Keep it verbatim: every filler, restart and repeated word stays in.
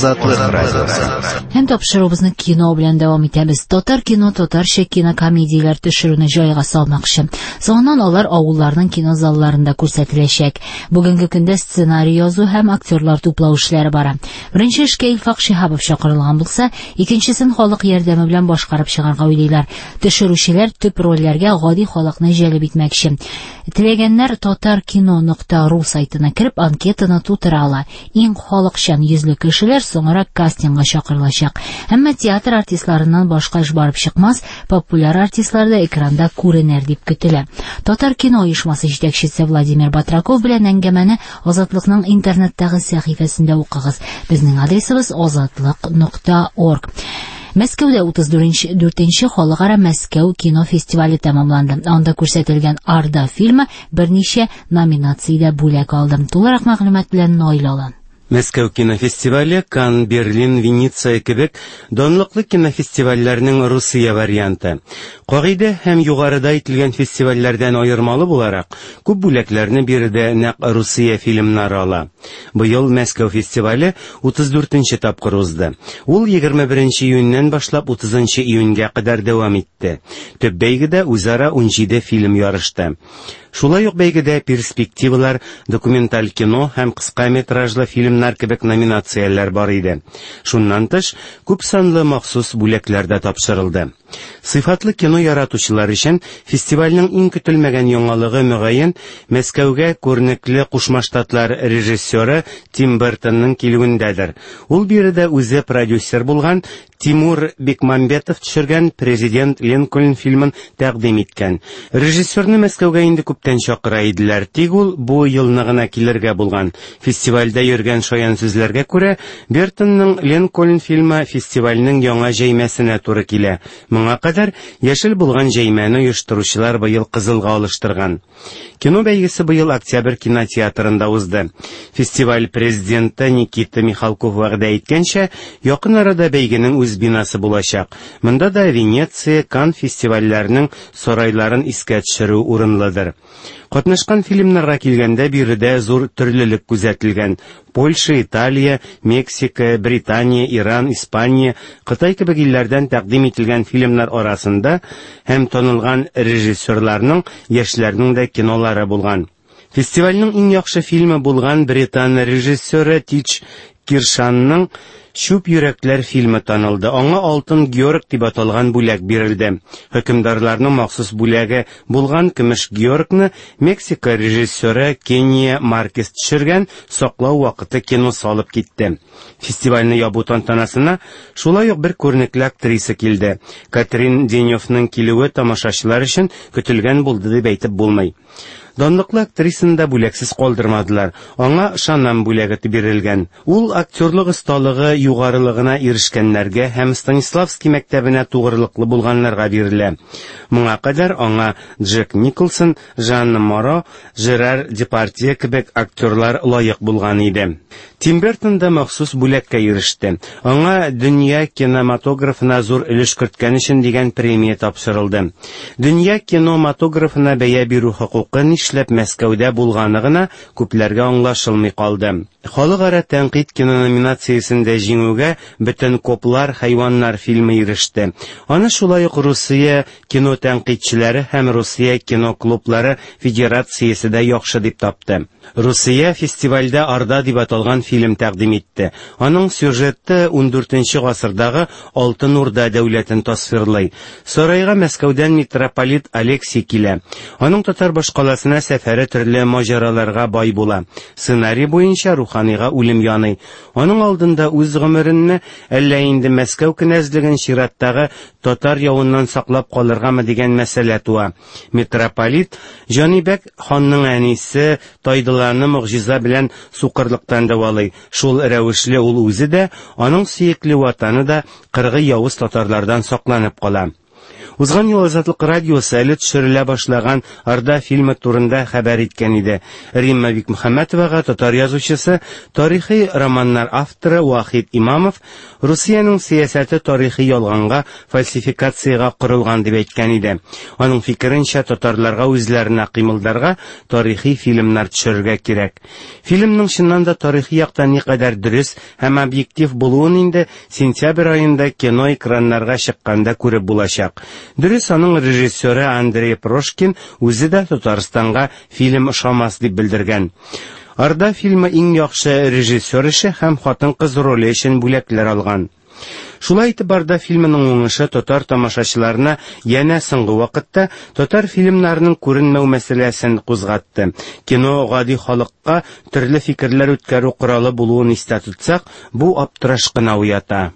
Азатлык радиосы. Һәм тапшыруыбызны кино белән дәвам итәбез. Татар кино татарча кинокомедияләр төшерүне җайга салмакчы. Соңыннан алар авылларның кино залларында күрсәтеләчәк. Бүгенге көндә сценарий язу һәм актерлар туплау эшләре бара. Беренче эшкә Илфак Шиһапов чакырылган булса, икенчесен халык ярдәме белән башкарып чыгарга уйлыйлар. Төшерүчеләр төп рольләргә гади халыкны җәлеп итмәкче. Теләгәннәр татаркино нокта ру сайтына кереп анкетаны тутыра ала. Иң халыкчан йөзле кешеләр соңрак кастингка чакырылачак. Әмма театр артистларыннан башка эш барып чыкмас, популяр артистлар да экранда күренер дип көтелә. Татар кино оешмасы җитәкчесе Владимир Батраков белән әңгәмәне Азатлыкның интернеттагы сәхифәсендә укыгыз. Безнең адресыбыз азатлык нокта орг. Мәскәүдә утыз дүртенче халыкара Мәскәү кино фестивале тәмамланды. Анда күрсәтелгән Арда фильмы берничә номинациядә бүләк алды. Тулырак мәгълүмат белән Наил Алан. Мәскәү кинофестивале Кан, Берлин, Венеция кебек данлыклы кинофестивальләрнең Русия варианты. Кагыйдә һәм югарыда әйтелгән фестивальләрдән аермалы буларак, күп бүләкләрне биредә нәкъ Русия фильмнары ала. Быел Мәскәү фестивале утыз дүртенче тапкыр узды. Ул егерме беренче июньнән башлап утызынчы июньгә кадәр дәвам итте. Төп бәйгедә үзара унҗиде фильм ярышты. Шулай ук бәйгедә перспективалар, документаль кино һәм кыска метражлы фильмнар кебек номинацияләр бар иде. Шуннан тыш, күп санлы махсус бүләкләр дә тапшырылды. Сыйфатлы кино яратучылар өчен фестивальнең иң көтелмәгән яңалыгы, мөгаен, Мәскәүгә күренекле Кушма Штатлар режиссеры Тим Бертонның килүендәдер. Ул биредә үзе продюсер булган Тимур Бекмамбетов төшергән Президент Линкольн фильмын тәкъдим иткән. Режиссерны Мәскәүгә инде күптән чакыра иделәр, тик ул бу елны гына килергә булган. Фестивальдә йөргән шаян сүзләргә күрә, Бертонның Линкольн фильмы фестивальнең яңа җәймәсенә туры килә. Моңа кадәр яшел булган җәймәне оештыручылар быел кызылга алыштырган. Кино бәйгесе быел Октябрь кинотеатрында узды. Фестиваль президенты Никита Михалков вәгъдә иткәнчә, якын арада бәйгенең үз бинасы булачак. Монда да Венеция, Кан фестивальләренең сарайларын искә төшерү урынлыдыр. Катнашкан фильмнарга килгәндә, биредә зур төрлелек күзәтелгән. Польша, Италия, Мексика, Британия, Иран, Испания, Кытай кебек илләрдән тәкъдим ителгән фильмнар арасында һәм танылган режиссерларның, яшьләрнең дә кинолары булган. Фестивальнең иң яхшы фильмы булган британ режиссеры Тич Киршанның Чүп йөрәкләр фильмы танылды. Аңа Алтын Георг дип аталган бүләк бирелде. Хөкемдарларның махсус бүләге булган Көмеш Георгны Мексика режиссеры Кения Маркес төшергән Саклау вакыты киносы алып китте. Фестивальне ябу тантанасына шулай ук бер күренекле актриса килде. Катрин Деневның килүе тамашачылар өчен көтелгән булды дип әйтеп булмый. Данлыклы актрисаны да бүләксез калдырмадылар. Аңа Шанам бүләге бирелгән. Ул актерлык осталыгы югарылыгына ирешкәннәргә һәм Станиславский мәктәбенә тугрылыклы булганнарга бирелә. Моңа кадәр аңа Джек Николсон, Жанна Моро, Жерар Депардье кебек актерлар лаек булган иде. Тим Бертон да махсус бүләккә иреште. Аңа дөнья кинематографына зур өлеш керткән өчен дигән премия тапшырылды. Дөнья кинематографына бәя бирү хокукы нишләп Мәскәүдә булганы гына күпләргә аңлашылмый калды. Халыкара тәнкыйть кино номинациясендә җиңүгә Бөтен коплар хайваннар фильмы иреште. Аны шулай ук Русия кино тәнкыйтьчеләре һәм Русия кино клублары федерациясе дә яхшы дип тапты. Русия фестивальдә Арда дип аталган фильм тәкъдим итте. Аның сюжеты ундүртенче гасырдагы Алтын Урда дәүләтен тасвирлый. Сарайга Мәскәүдән митрополит Алексий килә. Аның татар башкаласына сәфәре төрле маҗараларга бай була. Сценарий буенча руханига үлем яный. Аның алдында үз гомеренме, әллә инде Мәскәү кенәзлеген чираттагы татар явыннан саклап калыргамы дигән мәсьәлә туа. Митрополит Җанибәк ханның әнисе Тайдыланы могҗиза белән сукырлыктан дәвалый. Шул рәвешле ул үзе дә, аның сөекле ватаны да кыргый явыз татарлардан сакланып кала. Узган ел Азатлык радиосы әле төшерелә башлаган Орда фильмы турында хәбәр иткән иде. Римма Бикмөхәммәтовага татар язучысы, тарихи романнар авторы Вахит Имамов Русиянең сәясәте тарихи ялганга, фальсификациягә корылган дип әйткән иде. Аның фикеренчә, татарларга үзләренә кыймылдарга, тарихи фильмнар төшерергә кирәк. Фильмның чыннан да тарихи яктан никадәр дөрес һәм объектив булуын инде сентябрь аенда кино экраннарга чыкканда күреп булачак. Дөрес, аның режиссеры Андрей Прошкин үзе дә Татарстанга фильм ошамас дип белдергән. Орда фильмы иң яхшы режиссер эше һәм хатын-кыз роле өчен бүләкләр алган. Шулай итеп, Орда фильмының уңышы татар тамашачыларына янә соңгы вакытта татар фильмнарының күренмәү мәсьәләсен кузгатты. Кино гади халыкка төрле фикерләр үткәрү коралы булуын истә тотсак, бу аптыраш кына уята.